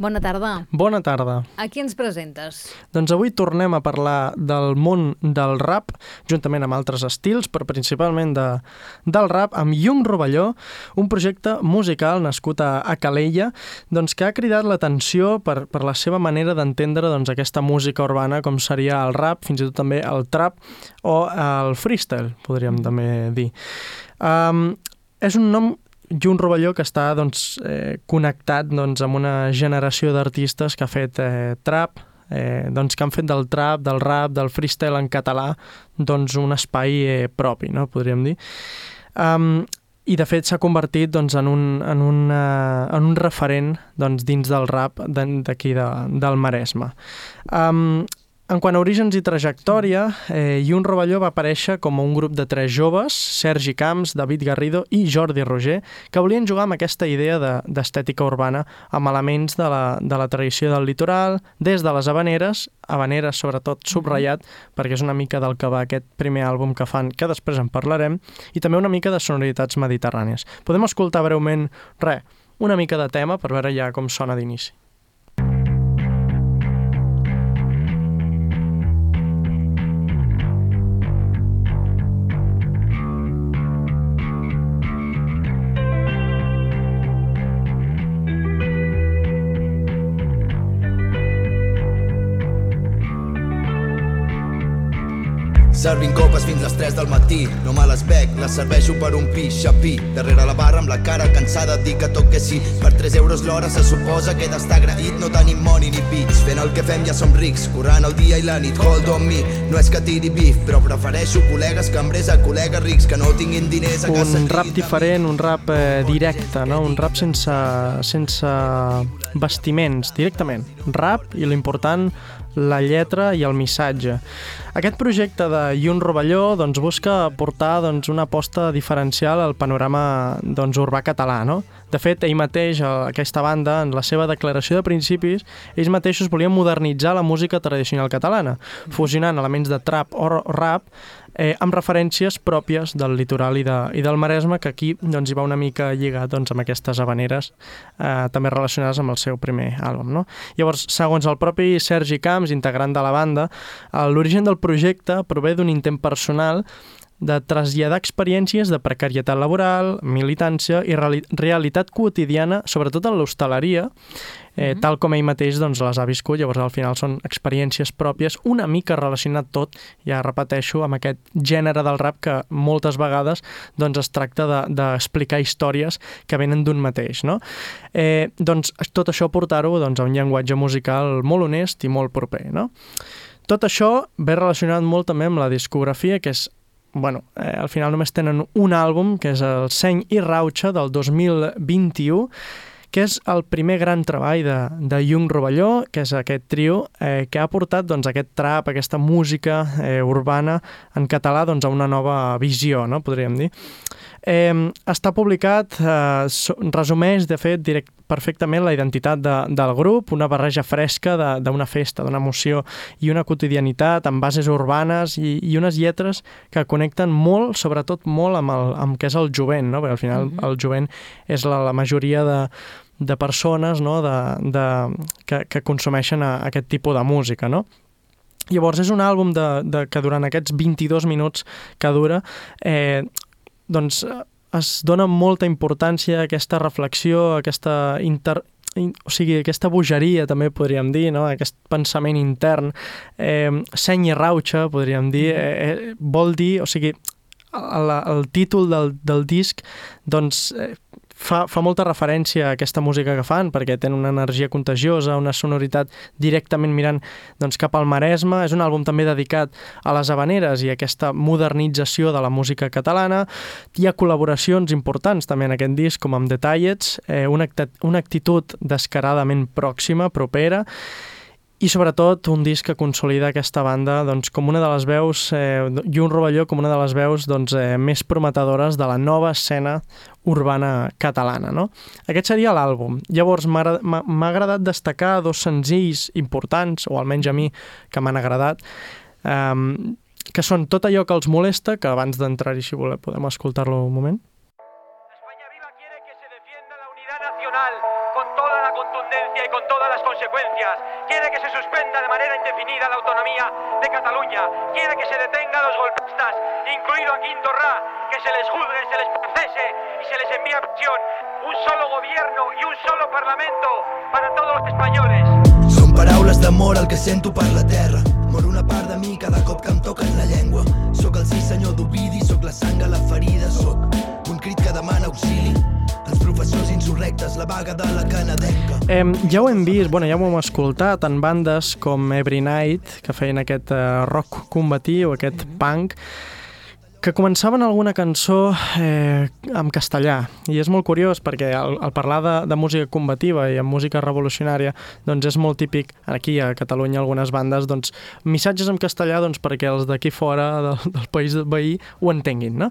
Bona tarda. Bona tarda. A qui ens presentes? Doncs avui tornem a parlar del món del rap, juntament amb altres estils, però principalment del rap, amb Yung Rovelló, un projecte musical nascut a Calella, doncs, que ha cridat l'atenció per la seva manera d'entendre doncs, aquesta música urbana, com seria el rap, fins i tot també el trap o el freestyle, podríem també dir. És un nom, Yung Rovelló, que està connectat amb una generació d'artistes que ha fet trap, que han fet del trap, del rap, del freestyle en català un espai propi, no? Podríem dir. I de fet s'ha convertit en un referent dins del rap d'aquí del Maresme. En quant a orígens i trajectòria, Yung Rovelló va aparèixer com un grup de 3 joves, Sergi Camps, David Garrido i Jordi Roger, que volien jugar amb aquesta idea d'estètica urbana, amb elements de la tradició del litoral, des de les havaneres sobretot subratllat, perquè és una mica del que va aquest primer àlbum que fan, que després en parlarem, i també una mica de sonoritats mediterrànies. Podem escoltar breument, una mica de tema per veure ja com sona d'inici. Servint copes fins les 3 del matí, no me les bec, les serveixo per un pixapí. Darrere la barra amb la cara cansada dic que tot que sí. Per 3 euros l'hora se suposa que he d'estar agraït. No tenim money ni pits, fent el que fem ja som rics. Currant el dia i la nit, hold on me. No és que tiri bif, però prefereixo col·legues cambrers a col·legues rics que no tinguin diners a casa. Un rap diferent, un rap directe, no? Un rap sense vestiments, directament. Rap i l'important, la lletra i el missatge. Aquest projecte de Yung Rovelló busca aportar una aposta diferencial al panorama urbà català, no? De fet, ell mateix, aquesta banda, en la seva declaració de principis, ells mateixos volien modernitzar la música tradicional catalana, fusionant elements de trap o rap amb referències pròpies del litoral i del Maresme, que aquí hi va una mica lligat amb aquestes havaneres també relacionades amb el seu primer àlbum, no? Llavors, segons el propi Sergi Camps, integrant de la banda, l'origen del projecte prové d'un intent personal de traslladar experiències de precarietat laboral, militància i realitat quotidiana, sobretot en l'hostaleria, tal com ell mateix les ha viscut. Llavors, al final són experiències pròpies, una mica relacionat tot, ja repeteixo, amb aquest gènere del rap que moltes vegades es tracta d'explicar històries que venen d'un mateix, no? Tot això portar-ho a un llenguatge musical molt honest i molt proper, no? Tot això ve relacionat molt també amb la discografia, que és al final només tenen un àlbum, que és el Seny i Rauxa del 2021, que és el primer gran treball de Yung Rovelló, que és aquest trio que ha portat aquest trap, aquesta música urbana en català a una nova visió, no? Podríem dir. Està publicat, resumeix de fet perfectament la identitat del grup, una barreja fresca d'una festa, d'una emoció i una quotidianitat amb bases urbanes i unes lletres que connecten molt, sobretot molt amb què és el jovent, no? Perquè al final el jovent és la majoria de persones, no? que consumeixen aquest tipus de música, no? Llavors és un àlbum que durant aquests 22 minuts que dura es dona molta importància a aquesta reflexió, aquesta bogeria, també podríem dir, no? Aquest pensament intern. Seny i Rauxa, podríem dir, vol dir, el títol del disc fa molta referència a aquesta música que fan, perquè tenen una energia contagiosa, una sonoritat directament mirant cap al Maresme. És un àlbum també dedicat a les havaneres i a aquesta modernització de la música catalana. Hi ha col·laboracions importants també en aquest disc, com amb The Tallets, una actitud descaradament pròxima, propera, i sobretot un disc que consolida aquesta banda com una de les veus, Yung Rovelló com una de les veus més prometedores de la nova escena urbana catalana, no? Aquest seria l'àlbum. Llavors m'ha agradat destacar 2 senzills importants, o almenys a mi que m'han agradat, que són Tot allò que els molesta, que abans d'entrar-hi, si voleu, podem escoltar-lo un moment. España Viva quiere que se defienda la unidad nacional con toda la contundencia y con todo todas las consecuencias. Quiere que se suspenda de manera indefinida la autonomía de Cataluña. Quiere que se detenga a los golpistas, incluido a Quinto Rá, que se les juzgue, se les procese y se les envíe a prisión. Un solo gobierno y un solo parlamento para todos los españoles. Són paraules d'amor el que sento per la terra. Mor una part de mi cada cop que em toquen la llengua. Soc el sí senyor d'Ovidi, soc la sang a la ferida, soc un crit que demana auxili. Els professors insurrectes, la vaga de la canadenca. Ja ho hem vist, ja ho hem escoltat en bandes com Every Night, que feien aquest rock combatiu, aquest punk, que començaven alguna cançó en castellà. I és molt curiós perquè al parlar de música combativa i en música revolucionària doncs és molt típic aquí a Catalunya algunes bandes missatges en castellà perquè els d'aquí fora del país veí ho entenguin, no?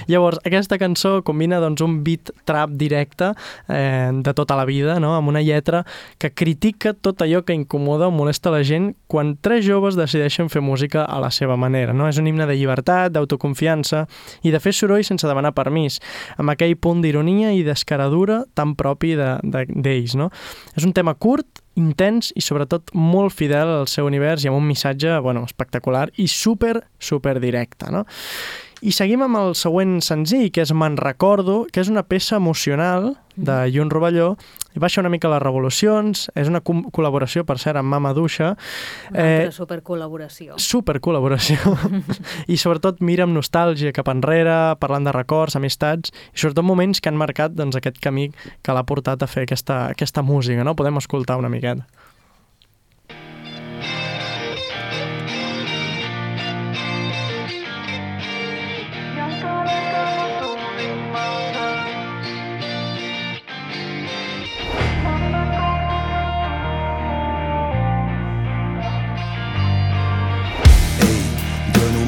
Llavors aquesta cançó combina un beat trap directe de tota la vida, no? Amb una lletra que critica tot allò que incomoda o molesta la gent quan tres joves decideixen fer música a la seva manera, no? És un himne de llibertat, d'autoconfiança i de fer soroll sense demanar permís, amb aquell punt d'ironia i d'escaradura tan propi d'ells, no? És un tema curt, intens i sobretot molt fidel al seu univers i amb un missatge, espectacular i super directe, no? I seguim amb el següent senzill, que és Me'n recordo, que és una peça emocional de Llun Rovelló, i baixa una mica les revolucions, és una col·laboració, per cert, amb Mama Duixa. Una altra supercol·laboració. Supercol·laboració. I sobretot mira amb nostàlgia cap enrere, parlant de records, amistats, i sobretot moments que han marcat aquest camí que l'ha portat a fer aquesta música, no? Podem escoltar una miqueta.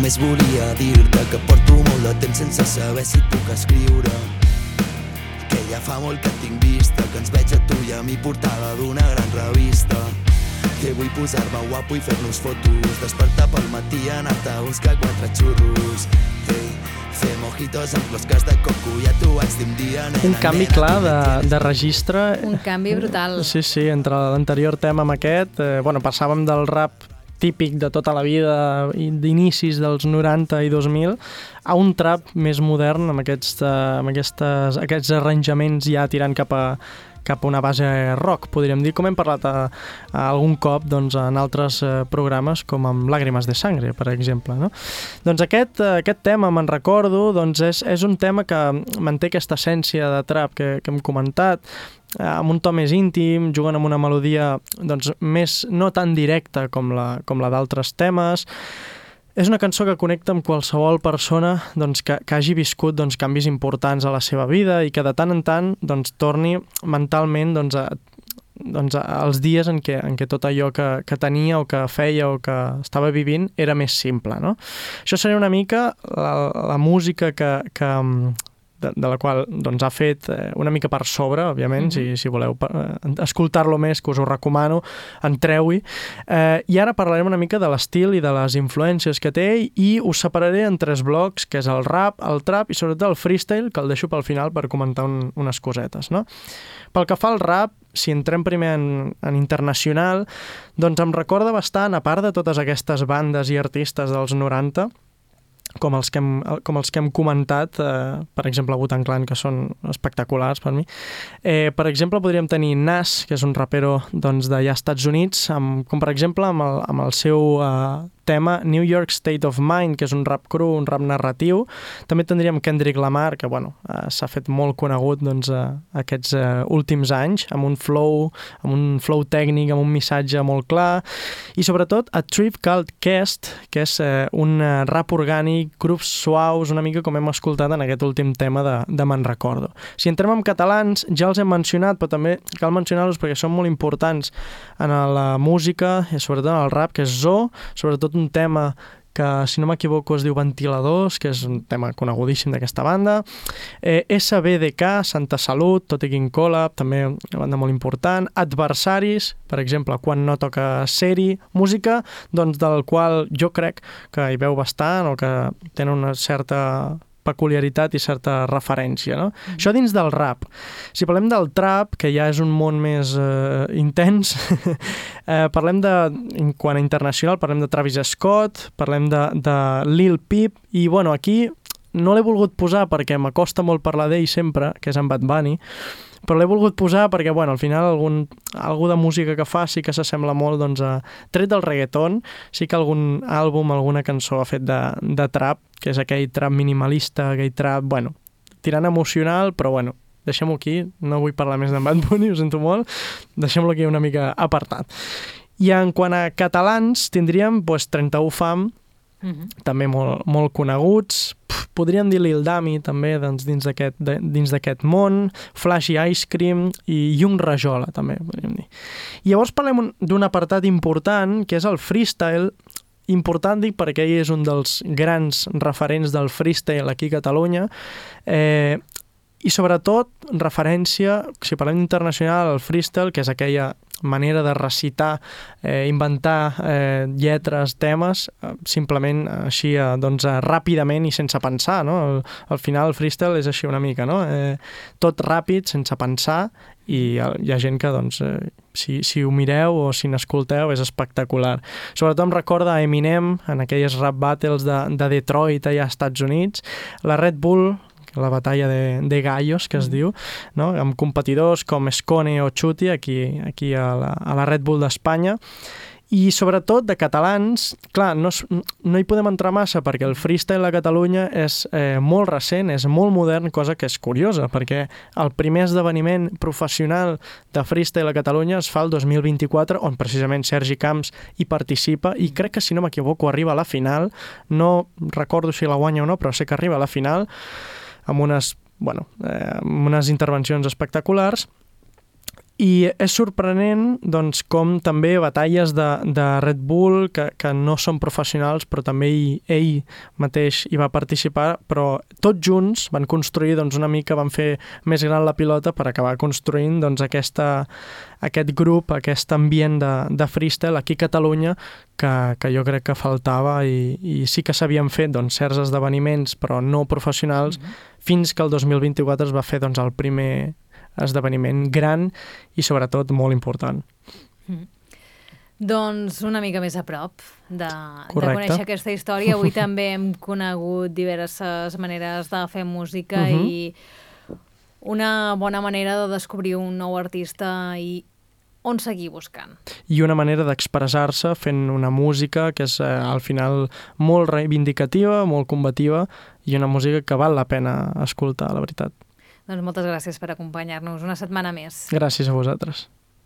Només volia dir-te que porto molt de temps sense saber si puc escriure, que ja fa molt que et tinc vista, que ens veig a tu i a mi portada d'una gran revista, que vull posar-me guapo i fer-nos fotos, despertar pel matí i anar-te a buscar 4 xurros, fer mojitos amb closques de coco, ja t'ho vaig dir un dia, nena. Un canvi clar de registre. Un canvi brutal. Sí, entre l'anterior tema amb aquest, passàvem del rap típic de tota la vida, d'inicis dels 90 i 2000, a un trap més modern amb aquests arranjaments ja tirant cap a una base rock, podríem dir, com hem parlat algun cop en altres programes, com amb Làgrimes de Sangre, per exemple, no? Doncs aquest tema, Me'n recordo, és un tema que manté aquesta essència de trap que hem comentat, amb un to més íntim, jugant amb una melodia més no tan directa com la d'altres temes. És una cançó que connecta amb qualsevol persona que hagi viscut canvis importants a la seva vida i que de tant en tant torni mentalment als dies en què tot allò que tenia o que feia o que estava vivint era més simple, no? Això seria una mica la música de la qual ha fet una mica per sobre, òbviament, si voleu escoltar-lo més, que us ho recomano, entreu-hi. I ara parlarem una mica de l'estil i de les influències que té i us separaré en 3 blocs, que és el rap, el trap i sobretot el freestyle, que el deixo pel final per comentar unes cosetes, no? Pel que fa al rap, si entrem primer en internacional, em recorda bastant, a part de totes aquestes bandes i artistes dels 90, com els que hem comentat, per exemple Wu-Tang Clan, que són espectaculars per mi. Per exemple, podríem tenir Nas, que és un rapero d'allà als Estats Units, com per exemple amb el seu tema New York State of Mind, que és un rap cru, un rap narratiu. També tindríem Kendrick Lamar, que s'ha fet molt conegut aquests últims anys, amb un flow tècnic, amb un missatge molt clar, i sobretot A Tribe Called Quest, que és un rap orgànic, grups suaus, una mica com hem escoltat en aquest últim tema de Me'n recordo. Si entrem en catalans, ja els hem mencionat, però també cal mencionar-los perquè són molt importants en la música, i sobretot en el rap, que és Zo, sobretot un tema que, si no m'equivoco, es diu Ventiladors, que és un tema conegudíssim d'aquesta banda. SBDK, Santa Salut, Totequín Collab, també una banda molt important. Adversaris, per exemple, Quan no toca ser-hi. Música del qual jo crec que hi veu bastant o que tenen una certa peculiaritat i certa referència, no? Això dins del rap. Si parlem del trap, que ja és un món més intens, parlem quant a internacional, parlem de Travis Scott, parlem de Lil Peep, i bueno, aquí no l'he volgut posar perquè m'acosta molt parlar d'ell sempre, que és en Bad Bunny, però l'he volgut posar perquè, bueno, al final algú de música que fa sí que s'assembla molt, doncs, tret del reggaeton, sí que algun àlbum, alguna cançó ha fet de trap, que és aquell trap minimalista, aquell trap, bueno, tirant emocional, però bueno, deixem-ho aquí, no vull parlar més d'en Bad Bunny, ho sento molt, deixem-lo aquí una mica apartat. I en quant a catalans, tindríem 31 Fam, també molt coneguts. Podríem dir Lil Dami, també, doncs, dins d'aquest món, Flash i Ice Cream i Yung Rajola, també, podríem dir. I llavors parlem d'un apartat important, que és el freestyle. Important, dic, perquè ell és un dels grans referents del freestyle aquí a Catalunya, i sobretot referència, si parlem internacional, al freestyle, que és aquella manera de recitar, inventar lletres, temes, simplement així, doncs, ràpidament i sense pensar, no? Al final el freestyle és així una mica, no? Tot ràpid, sense pensar, i hi ha gent que, doncs, si ho mireu o si n'escolteu, és espectacular. Sobretot em recorda Eminem en aquelles rap battles de Detroit, allà als Estats Units, la Red Bull, la batalla de gallos, que es diu, no? Amb competidors com Skone o Chuti aquí a la Red Bull d'Espanya. I sobretot de catalans, clar, no hi podem entrar massa perquè el freestyle a Catalunya és molt recent, és molt modern, cosa que és curiosa, perquè el primer esdeveniment professional de freestyle a Catalunya es fa el 2024, on precisament Sergi Camps hi participa, i crec que, si no m'equivoco, arriba a la final. No recordo si la guanya o no, però sé que arriba a la final, amb unes intervencions espectaculars. I és sorprenent, doncs, com també batalles de Red Bull, que no són professionals, però també ell mateix hi va participar, però tots junts van construir, doncs, una mica, van fer més gran la pilota per acabar construint, doncs, aquest grup, aquest ambient de freestyle aquí a Catalunya, que jo crec que faltava, i sí que s'havien fet, doncs, certs esdeveniments, però no professionals, fins que el 2024 es va fer, doncs, el primer esdeveniment gran i sobretot molt important. Doncs una mica més a prop de conèixer aquesta història. Avui també hem conegut diverses maneres de fer música i una bona manera de descobrir un nou artista i on seguir buscant. I una manera d'expressar-se fent una música que és al final molt reivindicativa, molt combativa, i una música que val la pena escoltar, la veritat. Doncs moltes gràcies per acompanyar-nos una setmana més. Gràcies a vosaltres.